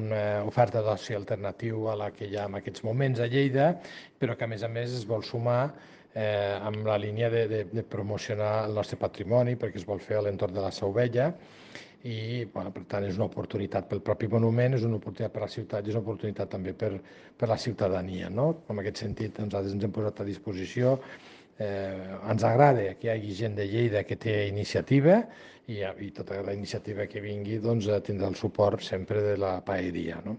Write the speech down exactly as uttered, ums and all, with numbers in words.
una oferta d'oci alternatiu a la que hi ha en aquests moments a Lleida, però que a més a més es vol sumar eh, amb la línia de, de, de promocionar el nostre patrimoni, perquè es vol fer a l'entorn de la Seu Vella, i bueno, per tant és una oportunitat pel propi monument, és una oportunitat per a la ciutat i és una oportunitat també per, per la ciutadania. No? En aquest sentit, nosaltres ens hem posat a disposició. Eh, ens agrada que hi hagi gent de Lleida que té iniciativa i, i tota la iniciativa que vingui doncs, tindrà el suport sempre de la paeria. No?